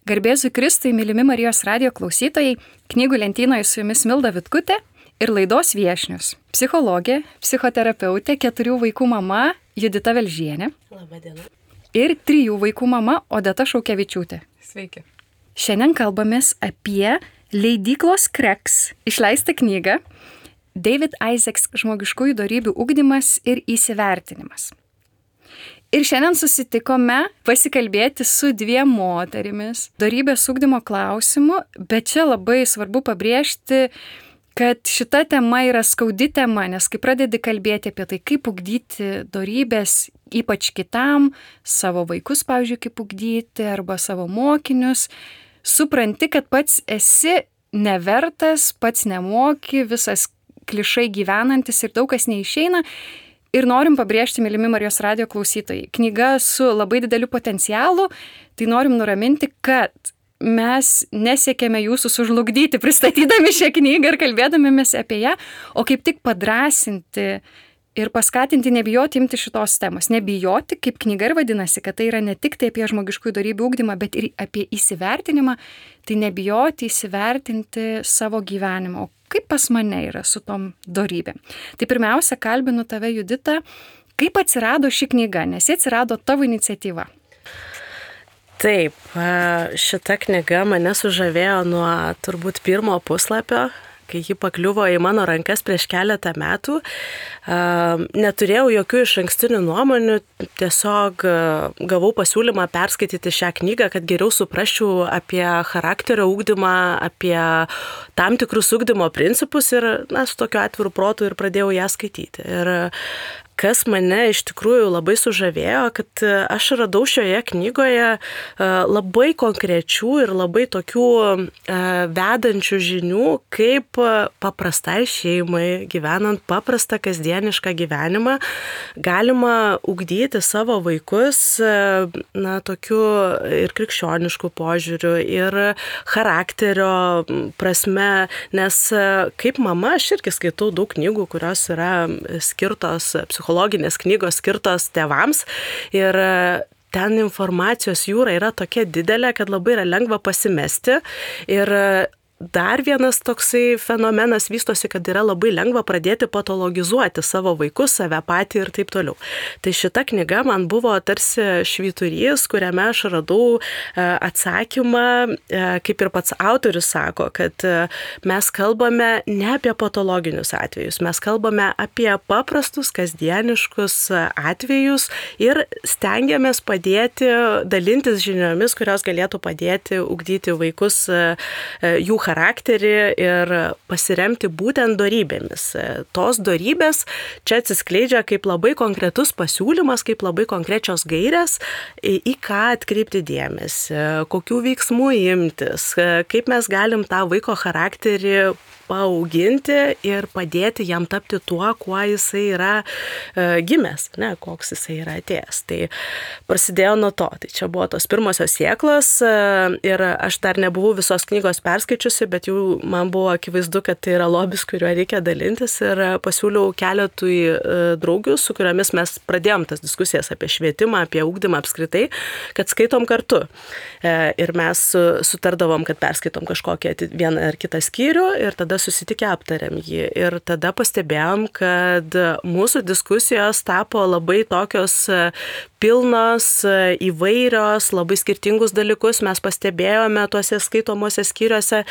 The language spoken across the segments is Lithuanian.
Garbėzui Kristui, mylimi Marijos radijo klausytojai, knygų lentynoje su jumis Milda Vitkutė ir laidos viešnius. Psichologė, psichoterapeutė, 4 vaikų mama Judita Velžienė. Labadiena. Ir 3 vaikų mama Odeta Šaukevičiūtė. Sveiki. Šiandien kalbamės apie leidyklos Kreks išleistą knygą David Isaacs žmogiškųjų dorybių ugdymas ir įsivertinimas. Ir šiandien susitikome pasikalbėti su 2 moterimis dorybės ugdymo klausimu, bet čia labai svarbu pabrėžti, kad šita tema yra skaudi tema, nes kai pradedi kalbėti apie tai, kaip ugdyti dorybės, ypač kitam, savo vaikus, pavyzdžiui, kaip ugdyti, arba savo mokinius, supranti, kad pats esi nevertas, pats nemoki, visas klišai gyvenantis ir daug kas neišeina. Ir norim pabrėžti, mylimi Marijos radijo klausytojai, knyga su labai dideliu potencialu, tai norim nuraminti, kad mes nesiekėme jūsų sužlugdyti, pristatydami šią knygą ir kalbėdamėmės apie ją, o kaip tik padrąsinti ir paskatinti nebijoti imti šitos temos. Nebijoti, kaip knyga ir vadinasi, kad tai yra ne tik tai apie žmogiškųjų dorybių ugdymą, bet ir apie įsivertinimą, tai nebijoti įsivertinti savo gyvenimą. O kaip pas mane yra su tom dorybėm? Tai pirmiausia, kalbinu tave, Judita, kaip atsirado ši knyga, nes ji atsirado tavo iniciatyva. Taip, šita knyga mane sužavėjo nuo turbūt pirmo puslapio, kai ji pakliuvo į mano rankas prieš keletą metų. Neturėjau jokių išankstinių nuomonių, tiesiog gavau pasiūlymą perskaityti šią knygą, kad geriau suprasčiau apie charakterio ugdymą, apie tam tikrus ugdymo principus ir su tokiu atviru protu ir pradėjau ją skaityti. Ir kas mane iš tikrųjų labai sužavėjo, kad aš radau šioje knygoje labai konkrečių ir labai tokių vedančių žinių, kaip paprastai šeimai, gyvenant paprastą kasdienišką gyvenimą, galima ugdyti savo vaikus tokiu ir krikščionišku požiūriu, ir charakterio prasme, nes kaip mama aš irgi skaitau daug knygų, kurios yra skirtos psichologinės knygos skirtos tėvams ir ten informacijos jūra yra tokia didelė, kad labai yra lengva pasimesti ir dar vienas toksai fenomenas vystosi, kad yra labai lengva pradėti patologizuoti savo vaikus, save patį ir taip toliau. Tai šita knyga man buvo tarsi švyturys, kuriame aš radau atsakymą, kaip ir pats autorius sako, kad mes kalbame ne apie patologinius atvejus, mes kalbame apie paprastus, kasdieniškus atvejus ir stengiamės padėti, dalintis žiniomis, kurios galėtų padėti ugdyti vaikus jų charakterį ir pasiremti būtent dorybėmis. Tos dorybės čia atsiskleidžia kaip labai konkretus pasiūlymas, kaip labai konkrečios gairės, į ką atkreipti dėmesį, kokių veiksmų imtis, kaip mes galim tą vaiko charakterį paauginti ir padėti jam tapti tuo, kuo jisai yra gimęs, koks jisai yra atėjęs. Tai prasidėjo nuo to. Tai čia buvo tos pirmosios sėklos ir aš dar nebuvau visos knygos perskaičiusi, bet jau man buvo akivaizdu, kad tai yra lobis, kuriuo reikia dalintis ir pasiūliau keletui draugių, su kuriomis mes pradėjom tas diskusijas apie švietimą, apie ugdymą apskritai, kad skaitom kartu. Ir mes sutardavom, kad perskaitom kažkokį vieną ar kitą skyrių ir tada susitikę aptarėm jį. Ir tada pastebėjom, kad mūsų diskusijos tapo labai tokios pilnos, įvairios, labai skirtingus dalykus mes pastebėjome tuose skaitomuose skyriuose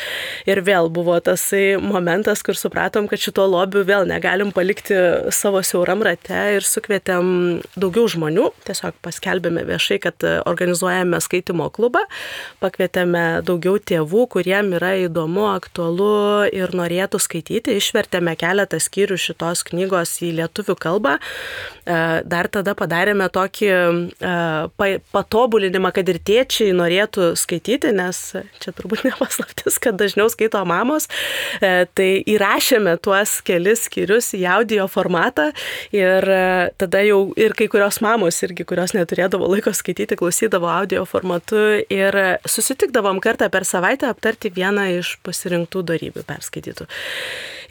ir vėl buvo tasai momentas, kur supratom, kad šito lobių vėl negalim palikti savo siauram rate ir sukvietėm daugiau žmonių, tiesiog paskelbėme viešai, kad organizuojame skaitimo klubą, pakvietėme daugiau tėvų, kuriem yra įdomu, aktualu ir norėtų skaityti, išvertėme keletą skyrių šitos knygos į lietuvių kalbą, dar tada padarėme tokį patobulinimą, kad ir tėčiai norėtų skaityti, nes čia turbūt nepaslaptis, kad dažniau skaito mamos, tai įrašėme tuos kelis skyrius į audio formatą ir tada jau ir kai kurios mamos irgi, kurios neturėdavo laiko skaityti, klausydavo audio formatu ir susitikdavom kartą per savaitę aptarti vieną iš pasirinktų dorybių perskaitytų.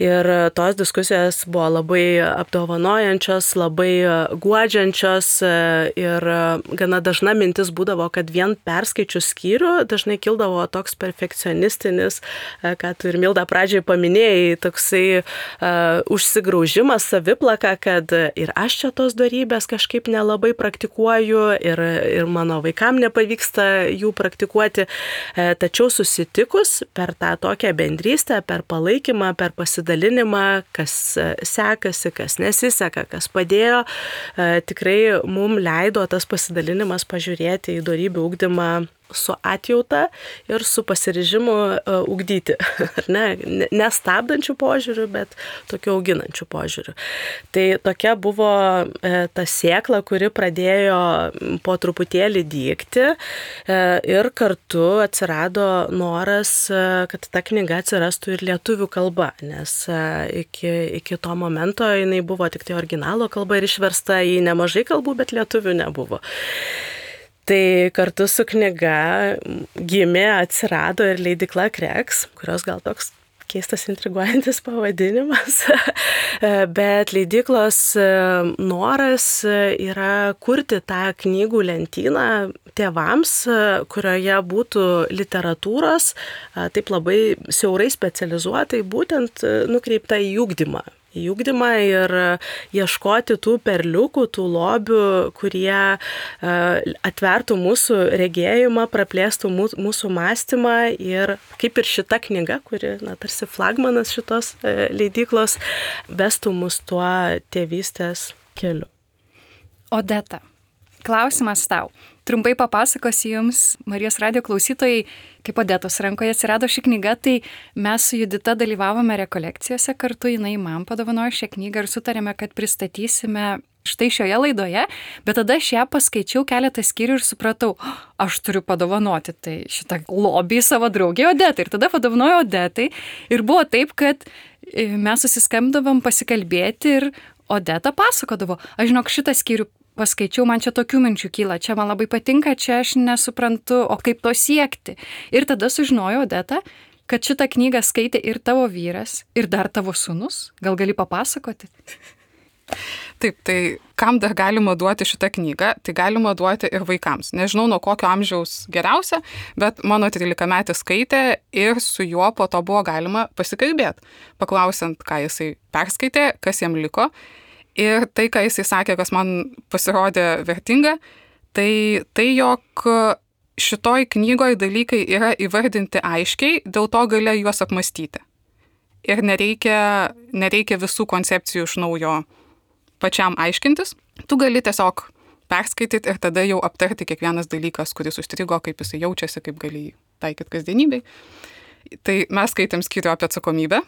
Ir tos diskusijos buvo labai apdovanojančios, labai guodžiančios ir gana dažna mintis būdavo, kad vien perskaičius skyrių dažnai kildavo toks perfekcionistinis, ką tu ir Milda pradžiai paminėjai, toksai užsigraužimas, saviplaka, kad ir aš čia tos dorybės kažkaip nelabai praktikuoju ir mano vaikam nepavyksta jų praktikuoti. Tačiau susitikus per tą tokią bendrystę, per palaikymą, per pasidalinimą, kas sekasi, kas nesiseka, kas padėjo, tikrai mums leido tas pasidalinimas pažiūrėti į dorybių ugdymą su atjauta ir su pasiryžimu ugdyti. Nestabdančių požiūrių, bet tokiu auginančių požiūrių. Tai tokia buvo ta sėkla, kuri pradėjo po truputėlį dygti ir kartu atsirado noras, kad ta knyga atsirastų ir lietuvių kalba, nes iki to momento jinai buvo tik tai originalo kalba ir išversta į nemažai kalbų, bet lietuvių nebuvo. Tai kartu su knyga gimė, atsirado ir leidykla Kreks, kurios gal toks keistas intriguojantis pavadinimas, bet leidyklos noras yra kurti tą knygų lentyną tėvams, kurioje būtų literatūros, taip labai siaurai specializuotai, būtent nukreipta į ugdymą ir ieškoti tų perliukų, tų lobių, kurie atvertų mūsų regėjimą, praplėstų mūsų mąstymą ir kaip ir šita knyga, kuri tarsi flagmanas šitos leidyklos, vestų mus tuo tėvystės keliu. Odeta, klausimas tau. Trumpai papasakosiu Jums, Marijos radijo klausytojai, kaip Odetos rankoje atsirado ši knyga, tai mes su Judita dalyvavome rekolekcijose kartu, jinai man padovanojo šią knygą ir sutarėme, kad pristatysime štai šioje laidoje, bet tada aš ją paskaičiau keletą skyrių ir supratau, aš turiu padovanoti tai šitą lobį savo draugė Odetai. Ir tada padovanojo Odetai ir buvo taip, kad mes susiskambdavom pasikalbėti ir Odeta pasakodavo, aš žinok šitą skyrių paskaičiau, man čia tokių minčių kyla, čia man labai patinka, čia aš nesuprantu, o kaip to siekti. Ir tada sužinojo Odeta, kad šitą knygą skaitė ir tavo vyras, ir dar tavo sūnus. Gal gali papasakoti? Taip, tai kam dar galima duoti šitą knygą, tai galima duoti ir vaikams. Nežinau, nuo kokio amžiaus geriausia, bet mano 13-metis skaitė ir su juo po to buvo galima pasikalbėti, paklausiant, ką jisai perskaitė, kas jam liko. Ir tai, ką jisai sakė, kas man pasirodė vertinga, tai jog šitoj knygoje dalykai yra įvardinti aiškiai, dėl to gali juos apmastyti. Ir nereikia visų koncepcijų iš naujo pačiam aiškintis. Tu gali tiesiog perskaityti ir tada jau aptarti kiekvienas dalykas, kuris užstrigo, kaip jisai jaučiasi, kaip gali taikyti kasdienybei. Tai mes skaitėm skyrių apie atsakomybę.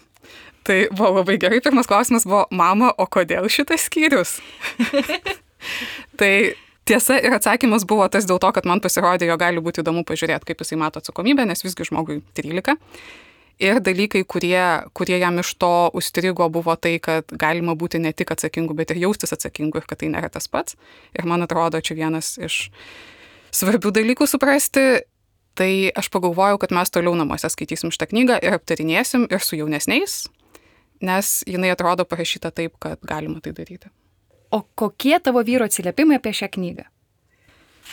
Tai buvo labai gerai. Pirmas klausimas buvo, mama, o kodėl šitas skyrius? Tai tiesa ir atsakymas buvo tas dėl to, kad man pasirodė, jo gali būti įdomu pažiūrėti, kaip jisai mato atsakomybę, nes visgi žmogui 13. Ir dalykai, kurie jam iš to užstrigo, buvo tai, kad galima būti ne tik atsakingu, bet ir jaustis atsakingu ir kad tai nėra tas pats. Ir man atrodo, čia vienas iš svarbių dalykų suprasti. Tai aš pagalvojau, kad mes toliau namuose skaitysim šitą knygą ir aptarinėsim ir su jaunesniais, nes jinai atrodo parašyta taip, kad galima tai daryti. O kokie tavo vyro atsiliepimai apie šią knygą?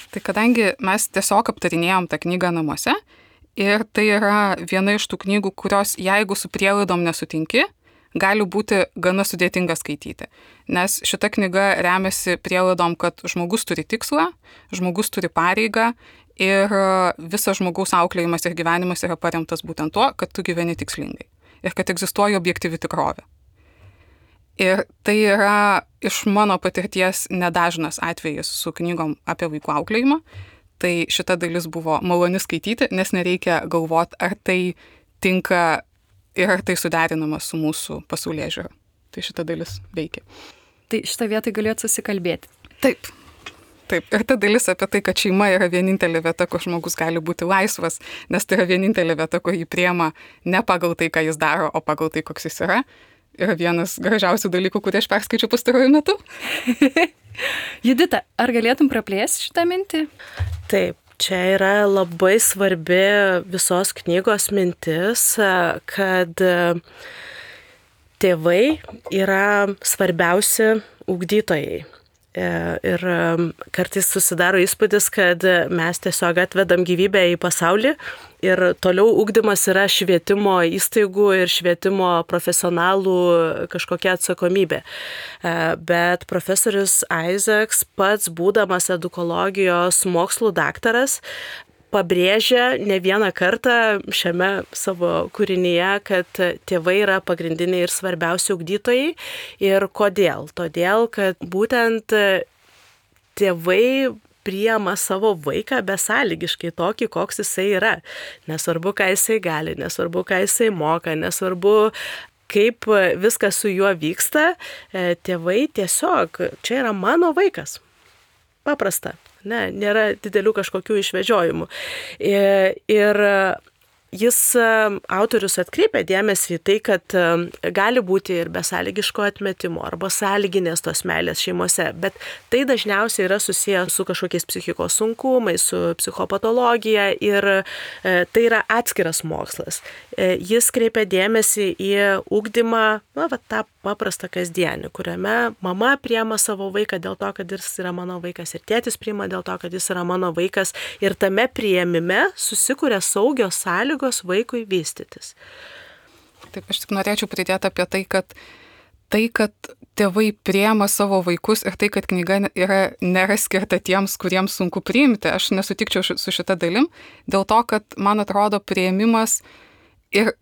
Tai kadangi mes tiesiog aptarinėjom tą knygą namuose ir tai yra viena iš tų knygų, kurios jeigu su prielaidom nesutinki, gali būti gana sudėtinga skaityti. Nes šita knyga remiasi prielaidom, kad žmogus turi tikslą, žmogus turi pareigą ir visas žmogaus auklėjimas ir gyvenimas yra paremtas būtent tuo, kad tu gyveni tikslingai ir kad egzistuoja objektyvi tikrovė. Ir tai yra iš mano patirties nedažnas atvejis su knygom apie vaikų auklėjimą. Tai šita dalis buvo maloni skaityti, nes nereikia galvoti, ar tai tinka ir ar tai suderinama su mūsų pasaulėžiūra. Tai šita dalis veikia. Tai šitą vietą galėtų susikalbėti. Taip. Taip, ir ta dalis apie tai, kad šeima yra vienintelė vieta, kur žmogus gali būti laisvas, nes tai yra vienintelė vieta, kur jį priema ne pagal tai, ką jis daro, o pagal tai, koks jis yra vienas gražiausių dalykų, kurį aš perskaičiu pastaruoju metu. Judita, ar galėtum praplėsti šitą mintį? Taip, čia yra labai svarbi visos knygos mintis, kad tėvai yra svarbiausi ugdytojai. Ir kartais susidaro įspūdis, kad mes tiesiog atvedam gyvybę į pasaulį ir toliau ugdymas yra švietimo įstaigų ir švietimo profesionalų kažkokia atsakomybė. Bet profesorius Isaacs pats, būdamas edukologijos mokslų daktaras, pabrėžia ne vieną kartą šiame savo kūrinyje, kad tėvai yra pagrindiniai ir svarbiausi ugdytojai. Ir kodėl? Todėl, kad būtent tėvai priima savo vaiką besąlygiškai tokį, koks jisai yra. Nesvarbu, ką jisai gali, nesvarbu, ką jisai moka, nesvarbu, kaip viskas su juo vyksta. Tėvai tiesiog, čia yra mano vaikas. Paprasta. Ne, nėra didelių kažkokių išvedžiojimų. Ir jis, autorius, atkreipia dėmesį į tai, kad gali būti ir besąlygiško atmetimo arba sąlyginės tos meilės šeimose, bet tai dažniausiai yra susiję su kažkokiais psichikos sunkumais, su psichopatologija ir tai yra atskiras mokslas. Jis kreipia dėmesį į ugdymą, tą paprastą kasdienį, kuriame mama priima savo vaiką dėl to, kad jis yra mano vaikas ir tėtis priima dėl to, kad jis yra mano vaikas ir tame priėmime susikuria saugios sąlygos vaikui vystytis. Taip, aš tik norėčiau pridėti apie tai, kad tėvai priima savo vaikus ir tai, kad knyga nėra skirta tiems, kuriems sunku priimti. Aš nesutikčiau su šita dalim, dėl to, kad man atrodo priėmimas ir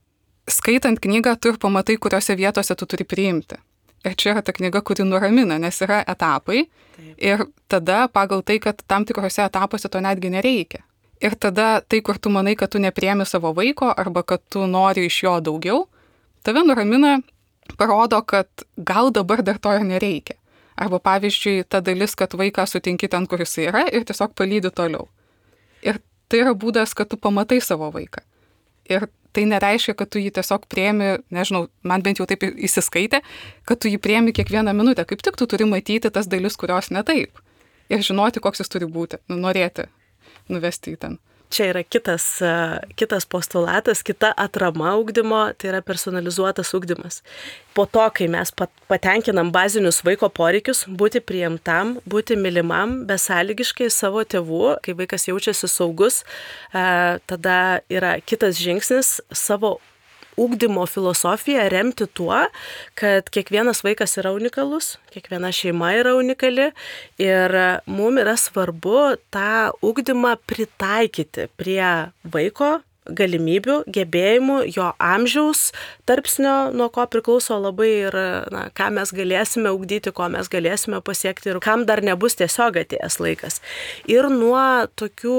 skaitant knygą tu ir pamatai, kuriuose vietose tu turi priimti. Ir čia yra ta knyga, kuri nuramina, nes yra etapai. Taip. Ir tada pagal tai, kad tam tikrose etapuose to netgi nereikia. Ir tada tai, kur tu manai, kad tu nepriemi savo vaiko arba kad tu nori iš jo daugiau, tave nuramina, parodo, kad gal dabar dar to ir nereikia. Arba pavyzdžiui, ta dalis, kad vaiką sutinki ten, kur jis yra ir tiesiog palydi toliau. Ir tai yra būdas, kad tu pamatai savo vaiką. Ir tai nereiškia, kad tu jį tiesiog priemi, nežinau, man bent jau taip įsiskaitė, kad tu jį priemi kiekvieną minutę. Kaip tik tu turi matyti tas dalis, kurios ne taip. Ir žinoti, koks jis turi būti, norėti nuvesti į ten. Čia yra kitas postulatas, kita atrama ugdymo, tai yra personalizuotas ugdymas. Po to, kai mes patenkinam bazinius vaiko poreikius, būti priimtam, būti mylimam, besąlygiškai savo tėvų, kai vaikas jaučiasi saugus, tada yra kitas žingsnis savo ugdymo filosofiją remti tuo, kad kiekvienas vaikas yra unikalus, kiekviena šeima yra unikali ir mums yra svarbu tą ugdymą pritaikyti prie vaiko galimybių, gebėjimų, jo amžiaus tarpsnio, nuo ko priklauso labai ir ką mes galėsime ugdyti, ko mes galėsime pasiekti ir kam dar nebus tiesiog atėjęs laikas. Ir nuo tokių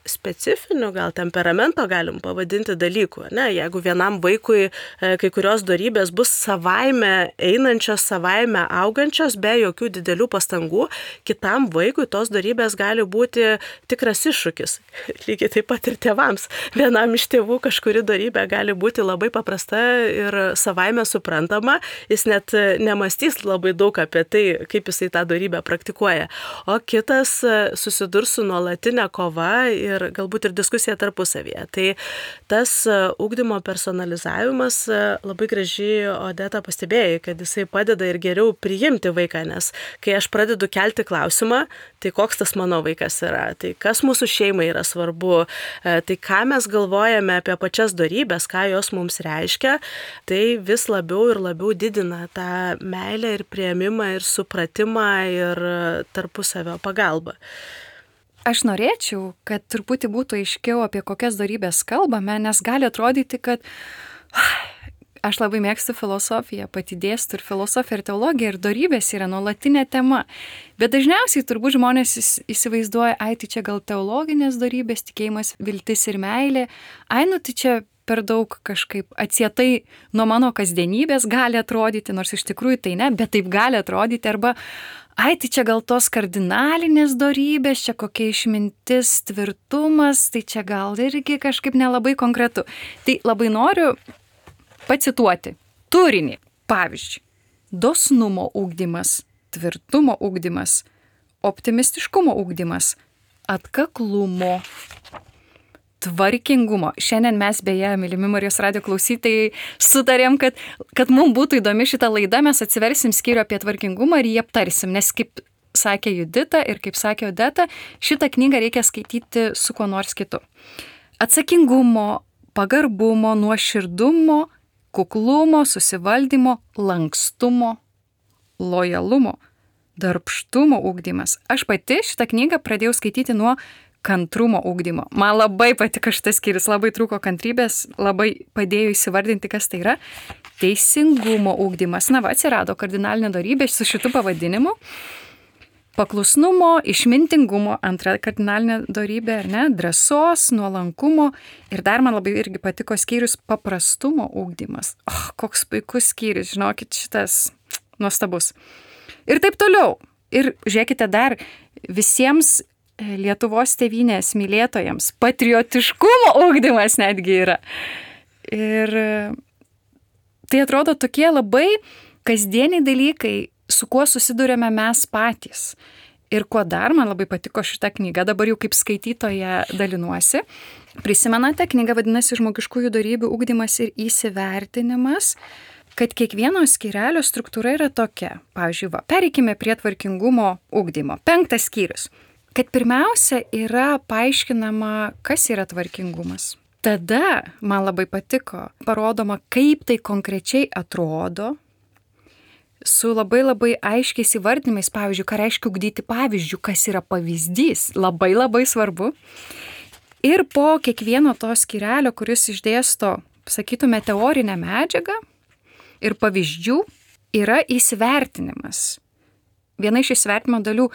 specifinių, gal temperamento galim pavadinti dalykų. Ne? Jeigu vienam vaikui kai kurios dorybės bus savaime einančios, savaime augančios, be jokių didelių pastangų, kitam vaikui tos dorybės gali būti tikras iššūkis. Lygiai taip pat ir tėvams. Vienam iš tėvų kažkuri dorybė gali būti labai paprasta ir savaime suprantama, jis net nemastys labai daug apie tai, kaip jisai tą dorybę praktikuoja. O kitas susidurs su nuolatinė kova ir galbūt ir diskusija tarpusavyje. Tai tas ugdymo personalizavimas labai gražiai Odeta pastebėjai, kad jisai padeda ir geriau priimti vaiką, nes kai aš pradedu kelti klausimą, tai koks tas mano vaikas yra, tai kas mūsų šeimai yra svarbu, tai ką mes galvojame apie pačias dorybės, ką jos mums reiškia, tai vis labiau ir labiau didina tą meilę ir priėmimą ir supratimą ir tarpusavio pagalbą. Aš norėčiau, kad truputį būtų aiškiau, apie kokias dorybės kalbame, nes gali atrodyti, kad aš labai mėgstu filosofiją, pati dėstu ir filosofiją ir teologiją ir dorybės yra nuolatinė tema. Bet dažniausiai turbūt žmonės įsivaizduoja, tai čia gal teologinės dorybės, tikėjimas, viltis ir meilė. Tai čia per daug kažkaip atsietai nuo mano kasdienybės gali atrodyti, nors iš tikrųjų tai ne, bet taip gali atrodyti. Arba ai, tai čia gal tos kardinalinės dorybės, čia kokia išmintis, tvirtumas, tai čia gal irgi kažkaip nelabai konkretu. Tai labai noriu pacituoti turinį. Pavyzdžiui, dosnumo ugdymas, tvirtumo ugdymas, optimistiškumo ugdymas, atkaklumo, tvarkingumo. Šiandien mes beje, mylimi Marijos radijo klausytojai, sutarėm, kad mums būtų įdomi šitą laidą, mes atsiversim skyrių apie tvarkingumą ir jį aptarsim, nes kaip sakė Judita ir kaip sakė Odeta, šitą knygą reikia skaityti su kuo nors kitu. Atsakingumo, pagarbumo, nuoširdumo, kuklumo, susivaldymo, lankstumo, lojalumo, darbštumo ugdymas. Aš pati šitą knygą pradėjau skaityti nuo kantrumo ugdymo. Man labai patiko šitas skyrius, labai trūko kantrybės, labai padėjo įsivardinti, kas tai yra. Teisingumo ugdymas. Na, atsirado kardinalinė dorybė su šitu pavadinimu. Paklusnumo, išmintingumo, antra kardinalinė dorybė, ar ne? Drąsos, nuolankumo. Ir dar man labai irgi patiko skyrius paprastumo ugdymas. Koks puikus skyrius, žinokit, šitas nuostabus. Ir taip toliau. Ir žiūrėkite dar visiems Lietuvos tėvynės mylėtojams patriotiškumo ugdymas netgi yra. Ir tai atrodo tokie labai kasdieniai dalykai, su kuo susidurėme mes patys. Ir kuo dar man labai patiko šitą knygą, dabar jau kaip skaitytoja dalinuosi. Prisimenate, knyga vadinasi Žmogiškųjų dorybių ugdymas ir įsivertinimas, kad kiekvieno skyrelio struktūra yra tokia. Pavyzdžiui, pereikime prie tvarkingumo ugdymo. 5 skyrius. Kad pirmiausia yra paaiškinama, kas yra tvarkingumas. Tada man labai patiko, parodoma, kaip tai konkrečiai atrodo, su labai aiškiais įvardinimais, pavyzdžiui, ką reiškia ugdyti pavyzdžių, kas yra pavyzdys, labai svarbu. Ir po kiekvieno to skyrelio, kuris išdėsto, sakytume, teorinę medžiagą ir pavyzdžių, yra įsivertinimas. Viena iš įsivertinimo dalių,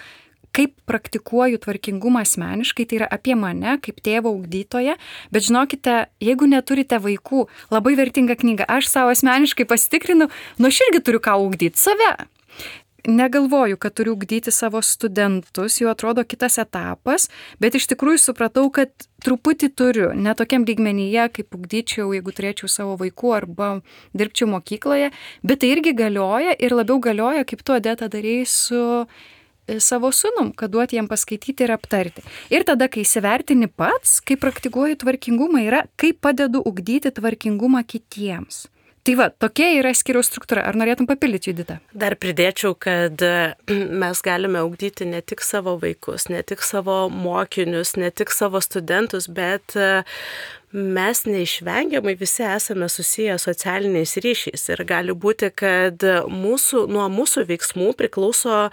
kaip praktikuoju tvarkingumą asmeniškai, tai yra apie mane, kaip tėvo ugdytoja, bet žinokite, jeigu neturite vaikų, labai vertinga knyga, aš savo asmeniškai pasitikrinu, aš irgi turiu ką ugdyti save. Negalvoju, kad turiu ugdyti savo studentus, jau atrodo kitas etapas, bet iš tikrųjų supratau, kad truputį turiu, ne tokiam lygmenyje, kaip ugdyčiau, jeigu turėčiau savo vaikų arba dirbčiau mokykloje, bet tai irgi galioja ir labiau galioja, kaip tu, Odeta, darei su savo sūnum, kad duoti jam paskaityti ir aptarti. Ir tada, kai įsivertini pats, kai praktikuoju tvarkingumą, yra, kaip padedu ugdyti tvarkingumą kitiems. Tai va, tokia yra skyriaus struktūra. Ar norėtum papildyti, Judita? Dar pridėčiau, kad mes galime ugdyti ne tik savo vaikus, ne tik savo mokinius, ne tik savo studentus, bet mes neišvengiamai visi esame susiję socialiniais ryšiais ir gali būti, kad nuo mūsų veiksmų priklauso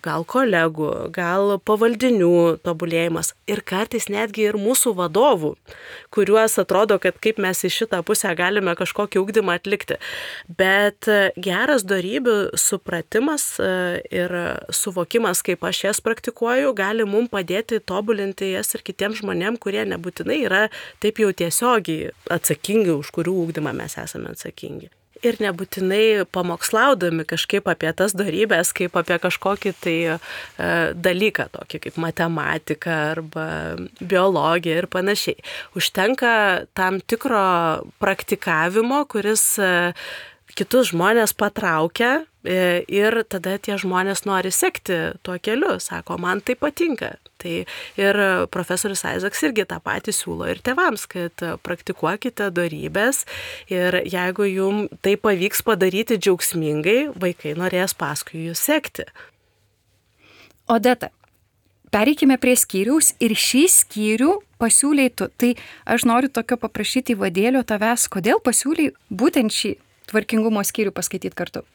gal kolegų, gal pavaldinių tobulėjimas ir kartais netgi ir mūsų vadovų, kuriuos atrodo, kad kaip mes į šitą pusę galime kažkokį ugdymą atlikti. Bet geras dorybių supratimas ir suvokimas, kaip aš jas praktikuoju, gali mums padėti tobulinti jas ir kitiems žmonėms, kurie nebūtinai yra taip jau tiesiogiai atsakingi, už kurių ugdymą mes esame atsakingi. Ir nebūtinai pamokslaudami kažkaip apie tas dorybės, kaip apie kažkokį tai dalyką, tokį kaip matematika arba biologija ir panašiai. Užtenka tam tikro praktikavimo, kuris kitus žmonės patraukia ir tada tie žmonės nori sekti tuo keliu, sako, man tai patinka. Tai ir profesorius Isaacs irgi tą patį siūlo ir tėvams, kad praktikuokite dorybės ir jeigu jums tai pavyks padaryti džiaugsmingai, vaikai norės paskui jūs sekti. Odeta, pereikime prie skyriaus ir šį skyrių pasiūlei tu. Tai aš noriu tokio paprašyti įvadėlio tavęs, kodėl pasiūlei būtent šį tvarkingumo skyrių paskaityti kartu.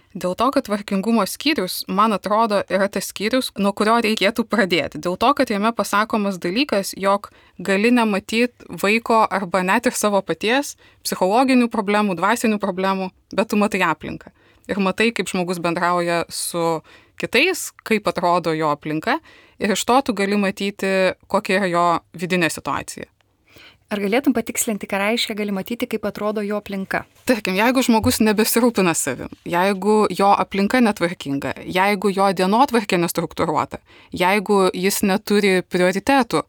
Dėl to, kad tvarkingumo skyrius, man atrodo, yra tas skyrius, nuo kurio reikėtų pradėti. Dėl to, kad jame pasakomas dalykas, jog gali nematyti vaiko arba net ir savo paties psichologinių problemų, dvasinių problemų, bet tu matai aplinką. Ir matai, kaip žmogus bendrauja su kitais, kaip atrodo jo aplinka ir iš to tu gali matyti, kokia yra jo vidinė situacija. Ar galėtum patikslinti, ką reiškia gali matyti, kaip atrodo jo aplinka? Tarkim, jeigu žmogus nebesirūpina savim, jeigu jo aplinka netvarkinga, jeigu jo dienotvarkė nestruktūruota, jeigu jis neturi prioritetų,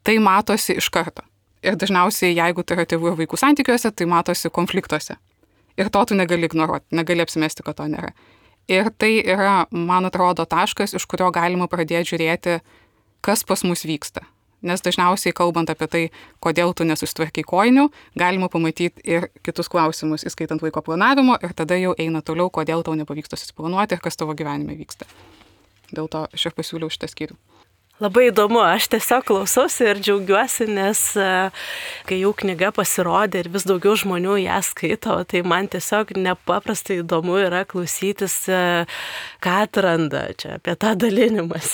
tai matosi iš karto. Ir dažniausiai, jeigu tai yra tėvų ir vaikų santykiuose, tai matosi konfliktuose. Ir to tu negali ignoruoti, negali apsimesti, kad to nėra. Ir tai yra, man atrodo, taškas, iš kurio galima pradėti žiūrėti, kas pas mus vyksta. Nes dažniausiai, kalbant apie tai, kodėl tu nesusitvarkai kojinių, galima pamatyti ir kitus klausimus, įskaitant vaiko planavimo, ir tada jau eina toliau, kodėl tau nepavyksta susiplanuoti ir kas tavo gyvenime vyksta. Dėl to aš ir pasiūliau šitą skyrių. Labai įdomu, aš tiesiog klausausi ir džiaugiuosi, nes kai jau knyga pasirodė ir vis daugiau žmonių ją skaito, tai man tiesiog nepaprastai įdomu yra klausytis, ką atranda čia apie tą dalinimas.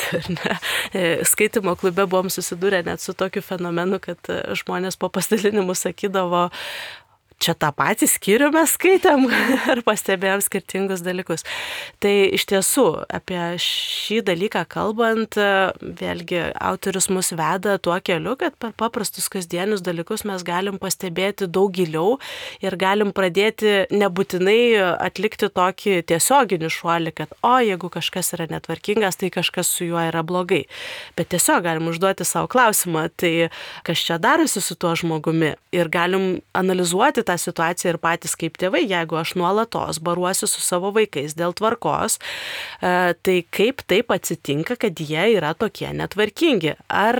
Skaitimo klube buvom susidūrę net su tokiu fenomenu, kad žmonės po pasidalinimų sakydavo, čia tą patį skyrių mes skaitėm ar pastebėjom skirtingus dalykus. Tai iš tiesų, apie šį dalyką kalbant, vėlgi autorius mus veda tuo keliu, kad per paprastus kasdienius dalykus mes galim pastebėti daug giliau ir galim pradėti nebūtinai atlikti tokį tiesioginį šuolį, kad jeigu kažkas yra netvarkingas, tai kažkas su juo yra blogai. Bet tiesiog galim užduoti savo klausimą, tai kas čia darosi su tuo žmogumi ir galim analizuoti tą situaciją ir patys kaip tėvai, jeigu aš nuolatos baruosiu su savo vaikais dėl tvarkos, tai kaip taip atsitinka, kad jie yra tokie netvarkingi? Ar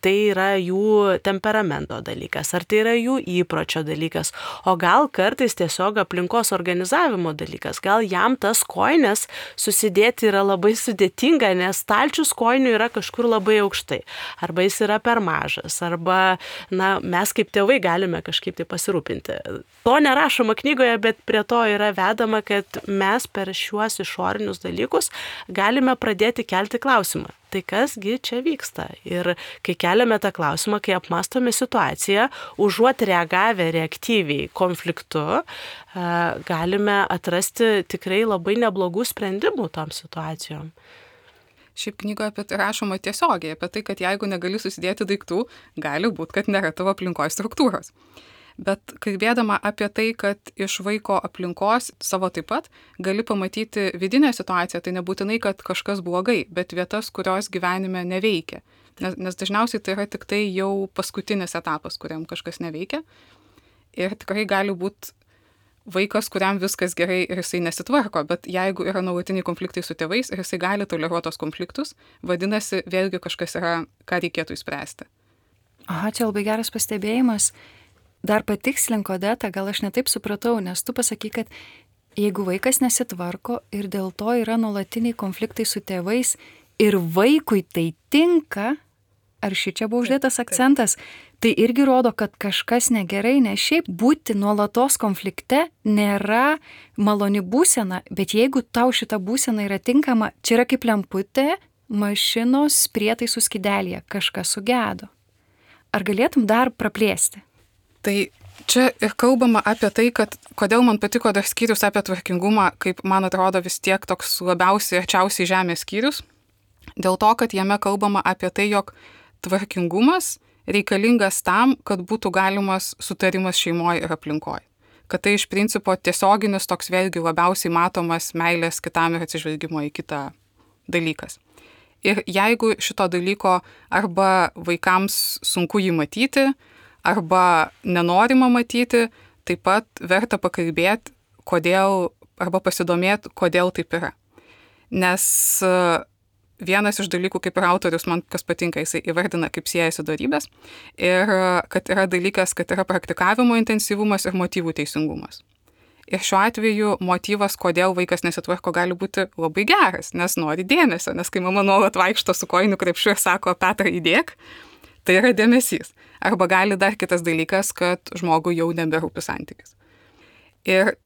tai yra jų temperamento dalykas, ar tai yra jų įpročio dalykas, o gal kartais tiesiog aplinkos organizavimo dalykas, gal jam tas kojines susidėti yra labai sudėtinga, nes stalčius kojinių yra kažkur labai aukštai, arba jis yra per mažas, arba mes kaip tėvai galime kažkaip tai pasirūpinti. To nerašoma knygoje, bet prie to yra vedama, kad mes per šiuos išorinius dalykus galime pradėti kelti klausimą. Tai kasgi čia vyksta? Ir kai keliame tą klausimą, kai apmastome situaciją, užuot reagavę reaktyviai konfliktu, galime atrasti tikrai labai neblogų sprendimų tom situacijom. Šiaip knygoje apie tai rašoma tiesiogiai, apie tai, kad jeigu negali susidėti daiktų, gali būti, kad nėra tavo aplinkoje struktūros. Bet kalbėdama apie tai, kad iš vaiko aplinkos savo taip pat gali pamatyti vidinę situaciją, tai nebūtinai, kad kažkas blogai, bet vietas, kurios gyvenime neveikia. Nes dažniausiai tai yra tik tai jau paskutinis etapas, kuriam kažkas neveikia. Ir tikrai gali būti vaikas, kuriam viskas gerai ir jisai nesitvarko, bet jeigu yra nuolatiniai konfliktai su tėvais ir jisai gali toleruoti tos konfliktus, vadinasi, vėlgi kažkas yra, ką reikėtų išspręsti. Aha, čia labai geras pastebėjimas. Dar patikslink, Odeta, gal aš netaip supratau, nes tu pasakai, kad jeigu vaikas nesitvarko ir dėl to yra nuolatiniai konfliktai su tėvais ir vaikui tai tinka, ar šičia buvo uždėtas akcentas, tai irgi rodo, kad kažkas negerai, nes šiaip būti nuolatos konflikte nėra maloni būsena, bet jeigu tau šita būsena yra tinkama, čia yra kaip lemputė mašinos prietaisų skydelėje, kažkas sugedo. Ar galėtum dar praplėsti? Tai čia ir kalbama apie tai, kad kodėl man patiko dar skyrius apie tvarkingumą, kaip man atrodo vis tiek toks labiausiai arčiausiai žemės skyrius, dėl to, kad jame kalbama apie tai, jog tvarkingumas reikalingas tam, kad būtų galimas sutarimas šeimoje ir aplinkoje. Kad tai iš principo tiesioginis toks vėlgi labiausiai matomas meilės kitam ir atsižvelgimo į kitą dalykas. Ir jeigu šito dalyko arba vaikams sunku jį matyti, arba nenorima matyti, taip pat verta pakalbėti, kodėl, arba pasidomėti, kodėl taip yra. Nes vienas iš dalykų, kaip ir autorius, man kas patinka, jisai įvardina, kaip siejasi dorybės, ir kad yra dalykas, kad yra praktikavimo intensyvumas ir motyvų teisingumas. Ir šiuo atveju motyvas, kodėl vaikas nesitvarko, gali būti labai geras, nes nori dėmesio, nes kai mama nuolat vaikšto su kojinių krepšiu ir sako, Petra, įdėk, tai yra dėmesys. Arba gali dar kitas dalykas, kad žmogui jau neberūpi santykis. Ir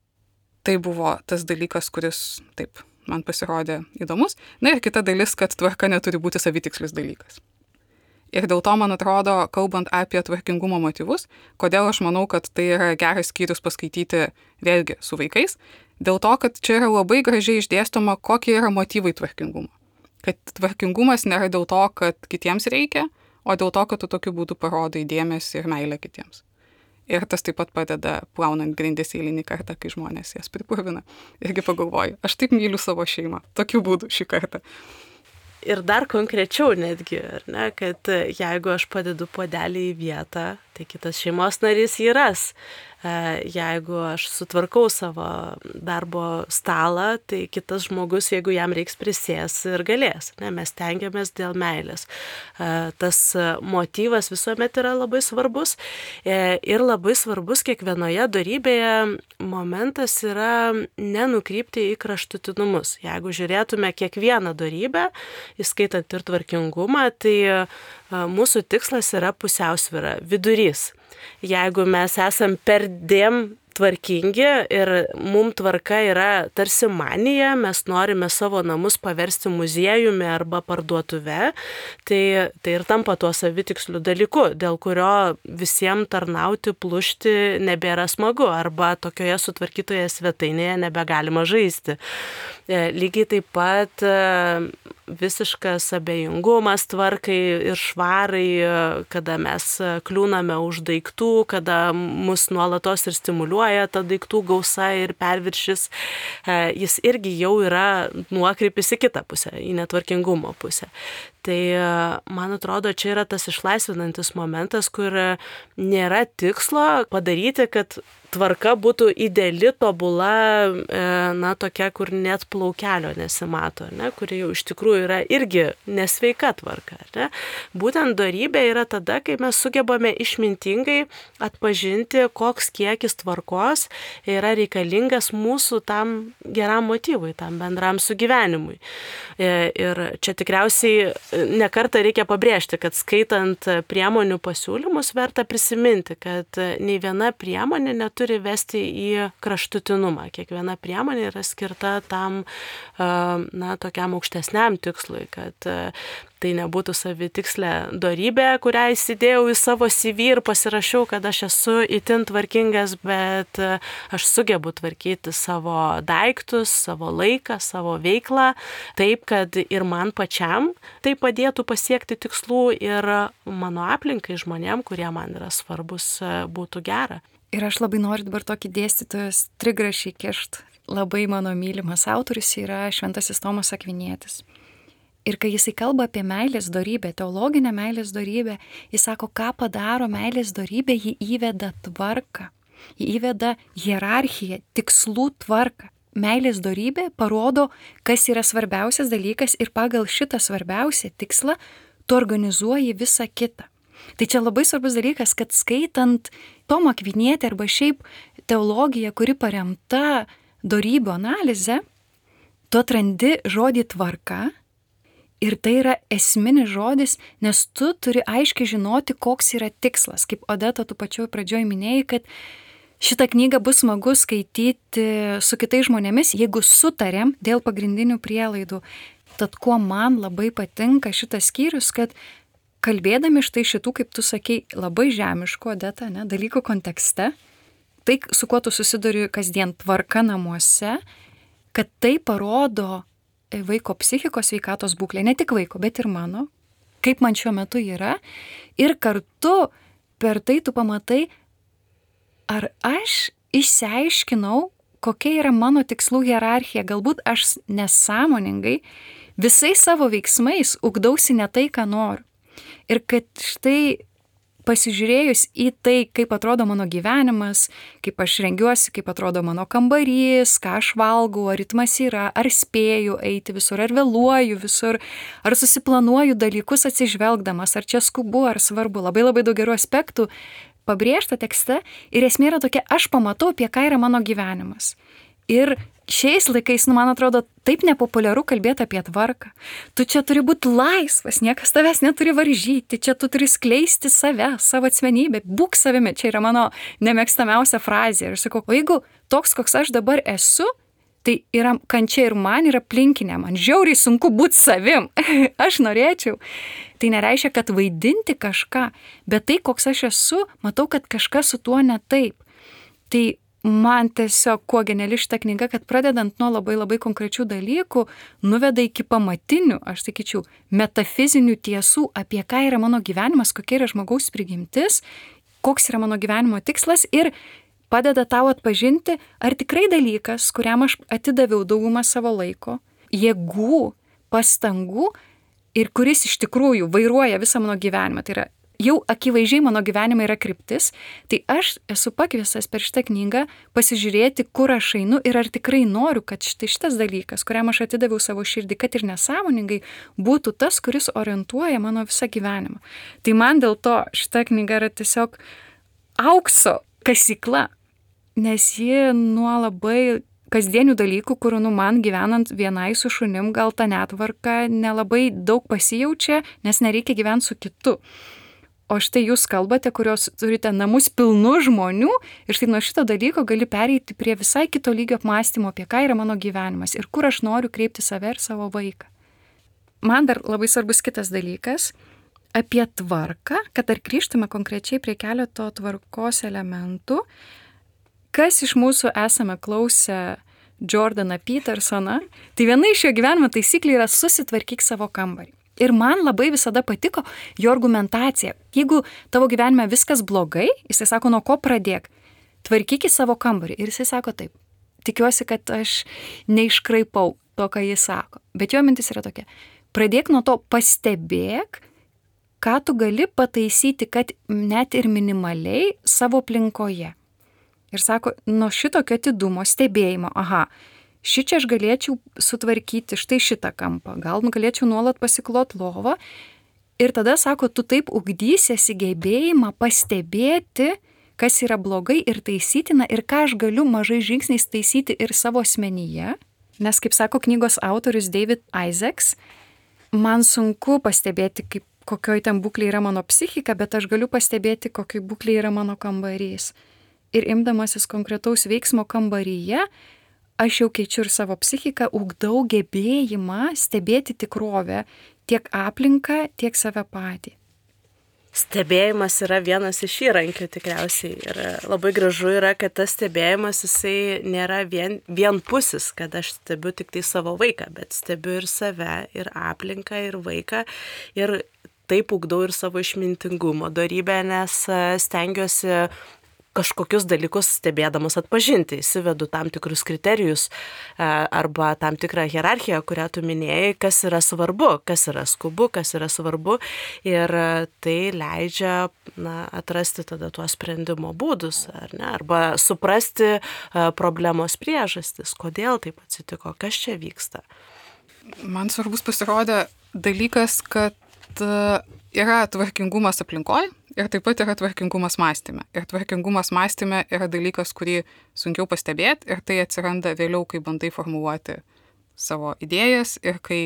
tai buvo tas dalykas, kuris taip man pasirodė įdomus. Na ir kita dalis, kad tvarka neturi būti savitikslis dalykas. Ir dėl to, man atrodo, kalbant apie tvarkingumo motyvus, kodėl aš manau, kad tai yra geras skyrius paskaityti vėlgi su vaikais, dėl to, kad čia yra labai gražiai išdėstoma, kokie yra motyvai tvarkingumo. Kad tvarkingumas nėra dėl to, kad kitiems reikia, o dėl to, kad tu tokiu būdu parodai dėmesį ir meilę kitiems. Ir tas taip pat padeda plaunant grindis eilinį kartą, kai žmonės jas pripurvina. Irgi pagalvoju, aš taip myliu savo šeimą, tokiu būdu šį kartą. Ir dar konkrečiau netgi, ar ne, kad jeigu aš padedu puodelį į vietą, tai kitas šeimos narys jį ras. Jeigu aš sutvarkau savo darbo stalą, tai kitas žmogus, jeigu jam reiks, prisės ir galės. Ne, mes tengiamės dėl meilės. Tas motyvas visuomet yra labai svarbus ir labai svarbus kiekvienoje dorybėje momentas yra nenukrypti į kraštutinumus. Jeigu žiūrėtume kiekvieną dorybę, įskaitant ir tvarkingumą, tai mūsų tikslas yra pusiausvyra, vidurys. Jeigu mes esam perdėm tvarkingi ir mums tvarka yra tarsi manija, mes norime savo namus paversti muziejumi arba parduotuve, tai ir tampa tuo savitiksliu dalyku, dėl kurio visiems tarnauti, plušti nebėra smagu arba tokioje sutvarkytoje svetainėje nebegalima žaisti. Lygiai taip pat visiškas abejingumas tvarkai ir švarai, kada mes kliūname už daiktų, kada mus nuolatos ir stimuliuoja ta daiktų gausa ir perviršis, jis irgi jau yra nuokrypis į kitą pusę, į netvarkingumo pusę. Tai, man atrodo, čia yra tas išlaisvinantis momentas, kur nėra tikslo padaryti, kad tvarka būtų ideali, tobula, tokia, kur net plaukelio nesimato, ne, kuri jau iš tikrųjų yra irgi nesveika tvarka. Ne. Būtent dorybė yra tada, kai mes sugebame išmintingai atpažinti, koks kiekis tvarkos yra reikalingas mūsų tam geram motyvui, tam bendram sugyvenimui. Ir čia tikriausiai nekartą reikia pabrėžti, kad skaitant priemonių pasiūlymus verta prisiminti, kad nei viena priemonė neturi vesti į kraštutinumą. Kiekviena priemonė yra skirta tam, tokiam aukštesniam tikslui, kad tai nebūtų savitikslė dorybė, kurią įsidėjau į savo CV ir pasirašiau, kad aš esu itin tvarkingas, bet aš sugebu tvarkyti savo daiktus, savo laiką, savo veiklą, taip, kad ir man pačiam tai padėtų pasiekti tikslų ir mano aplinkai žmonėm, kurie man yra svarbus, būtų gera. Ir aš labai noriu dabar tokį dėstytojas trigrašį kišt. Labai mano mylimas autorius yra Šventasis Tomas Akvinietis. Ir kai jisai kalba apie meilės dorybę, teologinę meilės dorybę, jis sako, ką padaro meilės dorybė, jį įveda tvarką, jį įveda hierarchiją, tikslų tvarką. Meilės dorybė parodo, kas yra svarbiausias dalykas ir pagal šitą svarbiausią tikslą tu organizuoji visą kitą. Tai čia labai svarbus dalykas, kad skaitant Tomą Akvinietį arba šiaip teologiją, kuri paremta dorybių analize, tu atrandi žodį tvarka. Ir tai yra esminis žodis, nes tu turi aiškiai žinoti, koks yra tikslas. Kaip Odeta, tu pačioj pradžioj minėjai, kad šitą knygą bus smagu skaityti su kitais žmonėmis, jeigu sutarėm dėl pagrindinių prielaidų. Tad kuo man labai patinka šitas skyrius, kad kalbėdami štai šitų, kaip tu sakei, labai žemiškų, Odeta, ne, dalykų kontekste, tai su kuo tu susiduri kasdien tvarka namuose, kad tai parodo vaiko psichikos sveikatos būklė, ne tik vaiko, bet ir mano, kaip man šiuo metu yra, ir kartu per tai tu pamatai, ar aš išsiaiškinau, kokia yra mano tikslų hierarchija, galbūt aš nesąmoningai visais savo veiksmais ugdausi ne tai, ką noriu. Ir kad štai pasižiūrėjus į tai, kaip atrodo mano gyvenimas, kaip aš rengiuosi, kaip atrodo mano kambarys, ką aš valgau, ar ritmas yra, ar spėju eiti visur, ar vėluoju visur, ar susiplanuoju dalykus atsižvelgdamas, ar čia skubu, ar svarbu. Labai labai daug gerų aspektų pabrėžta tekste ir esmė yra tokia, aš pamatau, apie ką yra mano gyvenimas. Ir šiais laikais, man atrodo, taip nepopuliaru kalbėti apie tvarką. Tu čia turi būti laisvas, niekas tavęs neturi varžyti, čia tu turi skleisti save, savo asmenybę, būk savimi. Čia yra mano nemėgstamiausia frazė. Ir aš sakau, o jeigu toks, koks aš dabar esu, tai yra kančia ir man, ir aplinkinė. Man žiauriai sunku būti savim. Aš norėčiau. Tai nereiškia, kad vaidinti kažką, bet tai, koks aš esu, matau, kad kažkas su tuo ne taip. Tai man tiesiog kuo geniali šita knyga, kad pradedant nuo labai labai konkrečių dalykų, nuveda iki pamatinių, aš sakyčiau, metafizinių tiesų, apie ką yra mano gyvenimas, kokia yra žmogaus prigimtis, koks yra mano gyvenimo tikslas ir padeda tau atpažinti, ar tikrai dalykas, kuriam aš atidaviau daugumą savo laiko, jėgų, pastangų ir kuris iš tikrųjų vairuoja visą mano gyvenimą, tai yra jau akivaizdžiai mano gyvenime yra kryptis, tai aš esu pakviestas per šitą knygą pasižiūrėti, kur aš einu ir ar tikrai noriu, kad šitas dalykas, kuriam aš atidaviau savo širdį, kad ir nesąmoningai, būtų tas, kuris orientuoja mano visą gyvenimą. Tai man dėl to šita knyga yra tiesiog aukso kasykla, nes ji nuo labai kasdienių dalykų, kur man gyvenant vienai su šunim, gal ta netvarka nelabai daug pasijaučia, nes nereikia gyventi su kitu. O štai jūs kalbate, kurios turite namus pilnų žmonių ir štai nuo šito dalyko gali pereiti prie visai kito lygio apmąstymo, apie ką yra mano gyvenimas ir kur aš noriu kreipti save ir savo vaiką. Man dar labai svarbus kitas dalykas apie tvarką, kad dar grįžtume konkrečiai prie keleto tvarkos elementų. Kas iš mūsų esame klausę Jordaną Petersoną, tai viena iš jo gyvenimo taisyklių yra susitvarkyk savo kambarį. Ir man labai visada patiko jo argumentacija. Jeigu tavo gyvenime viskas blogai, jisai sako, nuo ko pradėk? Tvarkyk į savo kambarį. Ir jisai sako taip. Tikiuosi, kad aš neiškraipau to, ką jis sako. Bet jo mintis yra tokia. Pradėk nuo to, pastebėk, ką tu gali pataisyti, kad net ir minimaliai savo aplinkoje. Ir sako, nuo šitokio atidumo, stebėjimo, šičia aš galėčiau sutvarkyti štai šitą kampą, gal galėčiau nuolat pasiklot lovą. Ir tada, sako, tu taip ugdysiesi gebėjimą pastebėti, kas yra blogai ir taisytina ir ką aš galiu mažai žingsniais taisyti ir savo asmenyje. Nes, kaip sako knygos autorius David Isaacs, man sunku pastebėti, kokioj ten būklė yra mano psichika, bet aš galiu pastebėti, kokioj būklė yra mano kambarys. Ir imdamasis konkretaus veiksmo kambaryje, aš jau keičiu ir savo psichiką, ugdau gebėjimą stebėti tikrovę, tiek aplinką, tiek save patį. Stebėjimas yra vienas iš įrankių tikriausiai ir labai gražu yra, kad tas stebėjimas jisai nėra vienpusis, kad aš stebiu tik tai savo vaiką, bet stebiu ir save, ir aplinką, ir vaiką ir taip ugdau ir savo išmintingumo dorybę, nes stengiuosi kažkokius dalykus stebėdamas atpažinti, įsivedu tam tikrus kriterijus arba tam tikrą hierarchiją, kurią tu minėjai, kas yra svarbu, kas yra skubu, kas yra svarbu ir tai leidžia atrasti tada tuos sprendimo būdus, arba suprasti problemos priežastis, kodėl taip atsitiko, kas čia vyksta. Man svarbus pasirodė dalykas, kad yra tvarkingumas aplinkoje ir taip pat yra tvarkingumas mąstyme. Ir tvarkingumas mąstyme yra dalykas, kurį sunkiau pastebėti ir tai atsiranda vėliau, kai bandai formuluoti savo idėjas ir kai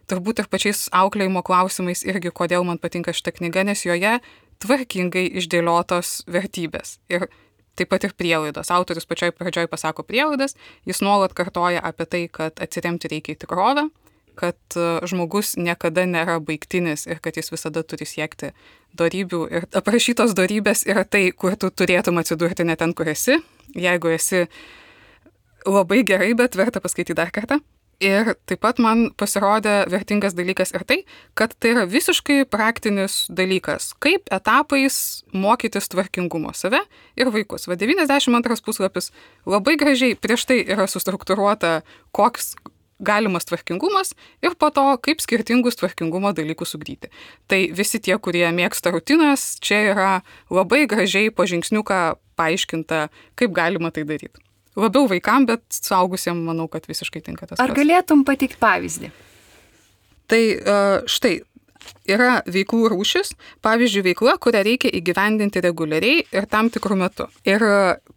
turbūt ir pačiais auklėjimo klausimais irgi, kodėl man patinka šita knyga, nes joje tvarkingai išdėliotos vertybės. Ir taip pat ir prielaidos. Autorius pačioj pradžioj pasako prielaidas, jis nuolat kartoja apie tai, kad atsiremti reikia į tikrovę, kad žmogus niekada nėra baigtinis ir kad jis visada turi siekti dorybių. Ir aprašytos dorybės yra tai, kur tu turėtum atsidurti ne ten, kur esi. Jeigu esi labai gerai, bet verta paskaityti dar kartą. Ir taip pat man pasirodė vertingas dalykas ir tai, kad tai yra visiškai praktinis dalykas, kaip etapais mokytis tvarkingumo save ir vaikus. 92 puslapis labai gražiai prieš tai yra sustruktūruota, koks galimas tvarkingumas ir po to, kaip skirtingus tvarkingumo dalykus ugdyti. Tai visi tie, kurie mėgsta rutinas, čia yra labai gražiai po žingsniuką paaiškinta, kaip galima tai daryti. Labiau vaikam, bet suaugusiem manau, kad visiškai tinka tas. Ar galėtum pateikti pavyzdį? Tai štai, yra veiklų rūšis, pavyzdžiui, veikla, kurią reikia įgyvendinti reguliariai ir tam tikrų metų. Ir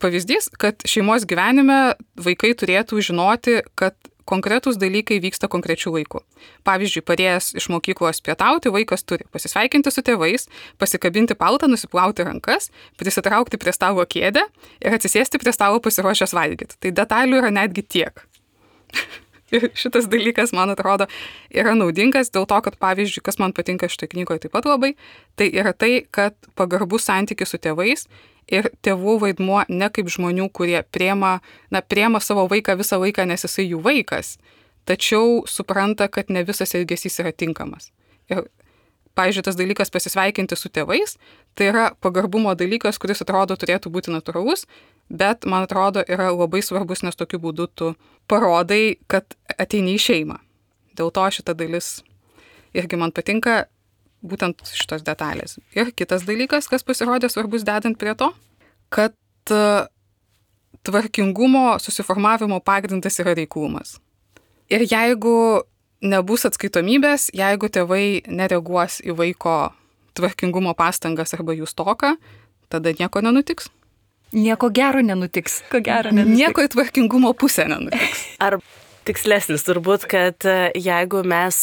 pavyzdys, kad šeimos gyvenime vaikai turėtų žinoti, kad konkretūs dalykai vyksta konkrečių laikų. Pavyzdžiui, parėjęs iš mokyklos pietauti, vaikas turi pasisveikinti su tėvais, pasikabinti paltą, nusiplauti rankas, prisitraukti prie stalo kėdę ir atsisėsti prie stalo pasiruošęs valgyti. Tai detalių yra netgi tiek. Ir šitas dalykas, man atrodo, yra naudingas dėl to, kad, pavyzdžiui, kas man patinka šitoje knygoje taip pat labai, tai yra tai, kad pagarbus santykis su tėvais ir tėvų vaidmuo ne kaip žmonių, kurie priema savo vaiką visą laiką, nes jisai jų vaikas, tačiau supranta, kad ne visas elgesys yra tinkamas. Ir, pavyzdžiui, tas dalykas pasisveikinti su tėvais, tai yra pagarbumo dalykas, kuris atrodo turėtų būti natūralus, bet, man atrodo, yra labai svarbus, nes tokiu būdu tu parodai, kad ateini į šeimą. Dėl to šita dalis irgi man patinka, būtent šitos detalės. Ir kitas dalykas, kas pasirodė svarbus dedant prie to, kad tvarkingumo susiformavimo pagrindas yra reiklumas. Ir jeigu nebus atskaitomybės, jeigu tėvai nereaguos į vaiko tvarkingumo pastangas arba jų stoką, tada nieko nenutiks. Nieko gero nenutiks. Nieko į tvarkingumo pusę nenutiks. Ar tikslesnis turbūt, kad jeigu mes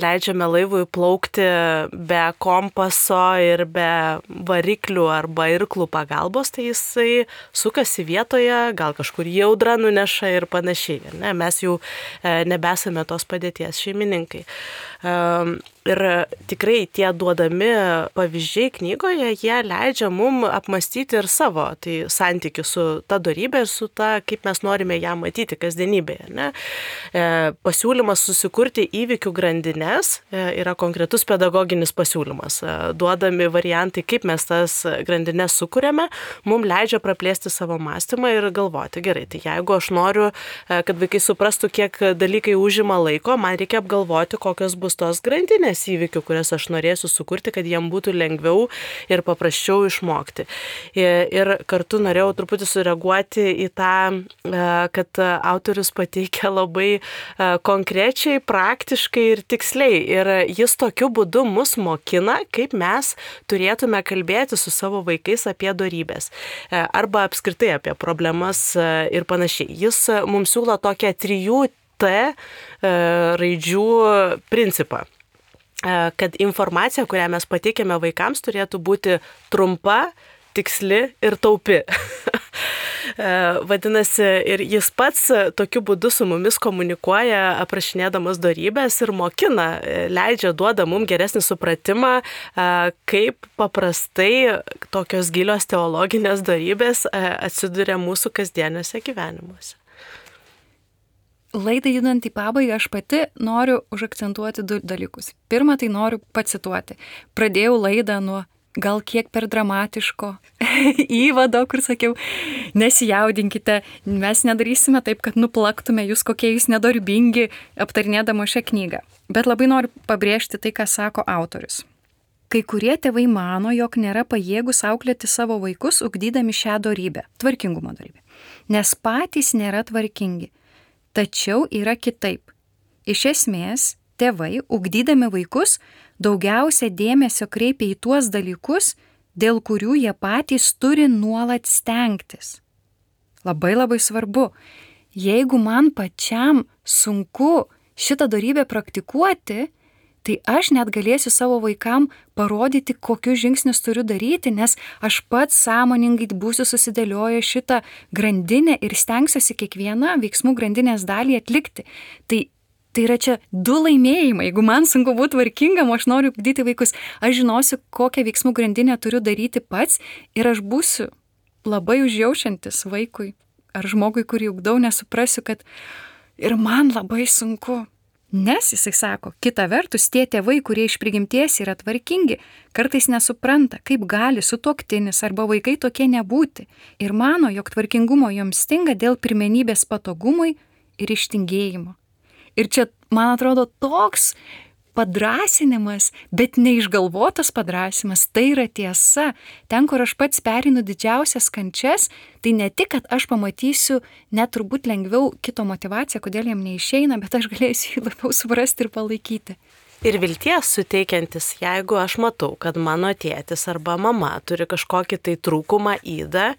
leidžiame laivui plaukti be kompaso ir be variklių arba irklų pagalbos, tai jisai sukasi vietoje, gal kažkur į audrą nuneša ir panašiai. Ne? Mes jau nebesame tos padėties šeimininkai. Ir tikrai tie duodami pavyzdžiai knygoje, jie leidžia mum apmastyti ir savo santykių su ta dorybė ir su ta, kaip mes norime ją matyti kasdienybėje. Ne? Pasiūlymas susikurti įvykių grandinės yra konkretus pedagoginis pasiūlymas. Duodami variantai, kaip mes tas grandinės sukūrėme, mum leidžia praplėsti savo mąstymą ir galvoti, gerai, tai jeigu aš noriu, kad vaikai suprastų, kiek dalykai užima laiko, man reikia apgalvoti, kokios bus tos grandinės įvykių, kurias aš norėsiu sukurti, kad jiem būtų lengviau ir paprasčiau išmokti. Ir kartu norėjau truputį sureaguoti į tą, kad autorius pateikia labai konkrečiai, praktiškai ir tiksliai. Ir jis tokiu būdu mus mokina, kaip mes turėtume kalbėti su savo vaikais apie dorybės. Arba apskritai apie problemas ir panašiai. Jis mums siūlo tokią 3T raidžių principą. Kad informacija, kurią mes pateikėme vaikams, turėtų būti trumpa, tiksli ir taupi. Vadinasi, ir jis pats tokiu būdu su mumis komunikuoja, aprašinėdamas dorybės ir mokina, duoda mums geresnį supratimą, kaip paprastai tokios gilios teologinės dorybės atsiduria mūsų kasdieniuose gyvenimuose. Laidai judant į pabaigą, aš pati noriu užakcentuoti 2 dalykus. Pirma, tai noriu pacituoti. Pradėjau laidą nuo gal kiek per dramatiško įvado, kur sakiau, nesijaudinkite, mes nedarysime taip, kad nuplaktume jūs, kokie jūs nedarbingi, aptarinėdama šią knygą. Bet labai noriu pabrėžti tai, ką sako autorius. Kai kurie tėvai mano, jog nėra pajėgus auklėti savo vaikus, ugdydami šią dorybę, tvarkingumo dorybę, nes patys nėra tvarkingi. Tačiau yra kitaip. Iš esmės, tėvai, ugdydami vaikus, daugiausia dėmesio kreipia į tuos dalykus, dėl kurių jie patys turi nuolat stengtis. Labai labai svarbu, jeigu man pačiam sunku šitą dorybę praktikuoti, tai aš net galėsiu savo vaikam parodyti, kokius žingsnius turiu daryti, nes aš pats sąmoningai būsiu susidėlioję šitą grandinę ir stengsiuosi kiekvieną veiksmų grandinės dalį atlikti. Tai yra čia 2 laimėjimai. Jeigu man sunku būti tvarkingam, aš noriu ugdyti vaikus, aš žinosiu, kokią veiksmų grandinę turiu daryti pats ir aš būsiu labai užjaučiantis vaikui ar žmogui, kurį ugdau, nesuprasiu, kad ir man labai sunku. Nes, jisai sako, kita vertus, tie tėvai, kurie iš prigimties yra tvarkingi, kartais nesupranta, kaip gali sutuoktinis arba vaikai tokie nebūti ir mano, jog tvarkingumo joms stinga dėl pirmenybės patogumui ir ištingėjimo. Ir čia, man atrodo, toks padrąsinimas, bet neišgalvotas padrąsinimas, tai yra tiesa. Ten, kur aš pats perinu didžiausias kančias, tai ne tik, kad aš pamatysiu net turbūt lengviau kito motivaciją, kodėl jam neišeina, bet aš galėsiu jį labiau suprasti ir palaikyti. Ir vilties suteikiantis, jeigu aš matau, kad mano tėtis arba mama turi kažkokį tai trūkumą ydą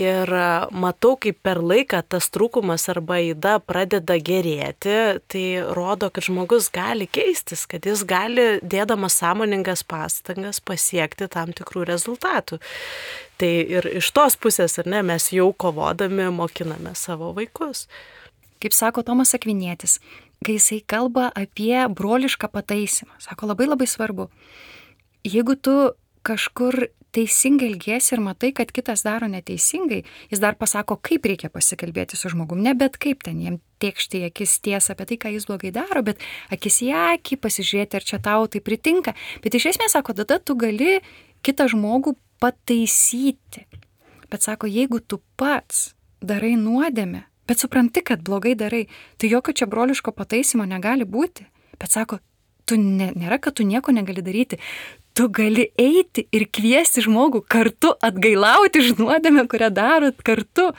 ir matau, kaip per laiką tas trūkumas arba yda pradeda gerėti, tai rodo, kad žmogus gali keistis, kad jis gali, dėdamas sąmoningas pastangas, pasiekti tam tikrų rezultatų. Tai ir iš tos pusės, ar ne, mes jau kovodami mokiname savo vaikus. Kaip sako Tomas Akvinietis, kai jisai kalba apie brolišką pataisymą, sako labai labai svarbu. Jeigu tu kažkur teisingai elgiesi ir matai, kad kitas daro neteisingai, jis dar pasako, kaip reikia pasikalbėti su žmogum. Ne bet kaip ten jiem tėkšti į akis tiesą apie tai, ką jis blogai daro, bet akis į akį pasižiūrėti, ar čia tau tai pritinka. Bet iš esmės sako, tada tu gali kitą žmogų pataisyti. Bet sako, jeigu tu pats darai nuodėmę, bet supranti, kad blogai darai, tai jokio čia broliško pataisymo negali būti. Bet sako, nėra, kad tu nieko negali daryti. Tu gali eiti ir kviesti žmogų kartu atgailauti už nuodėmę, kurią darot kartu.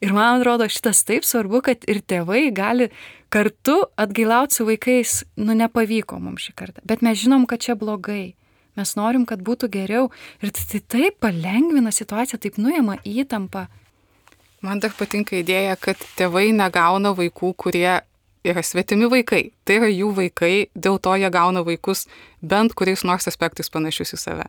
Ir man atrodo, šitas taip svarbu, kad ir tėvai gali kartu atgailauti su vaikais. Nepavyko mums šį kartą. Bet mes žinom, kad čia blogai. Mes norim, kad būtų geriau. Ir tai taip palengvina situaciją, taip nuima įtampą. Man dar patinka idėja, kad tėvai negauna vaikų, kurie yra svetimi vaikai. Tai yra jų vaikai, dėl to jie gauna vaikus bent kuriais nors aspektais panašius į save.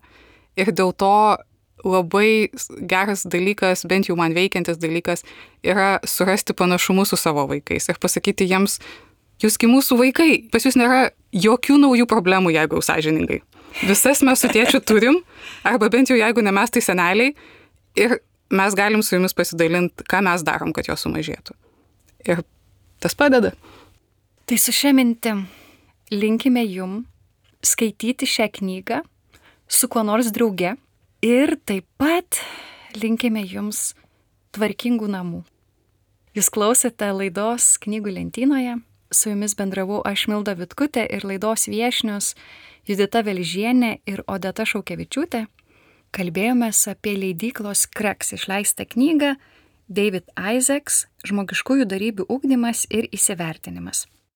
Ir dėl to labai geras dalykas, bent jau man veikiantis dalykas, yra surasti panašumus su savo vaikais ir pasakyti jiems, jūsgi mūsų vaikai, pas jūs nėra jokių naujų problemų, jeigu sąžiningai. Visas mes su tėčiu turim, arba bent jau jeigu ne mes, tai seneliai, ir mes galim su jumis pasidalinti, ką mes darom, kad jos sumažėtų. Ir tas padeda. Tai su šia mintim linkime jum skaityti šią knygą su kuo nors drauge ir taip pat linkime jums tvarkingų namų. Jūs klausėte laidos Knygų lentynoje. Su jumis bendravau aš, Milda Vitkutė, ir laidos viešnios Judita Velžienė ir Odeta Šaukevičiūtė. Kalbėjomės apie leidyklos Kreks išleistą knygą David Isaacs – Žmogiškųjų dorybių ugdymas ir įsivertinimas.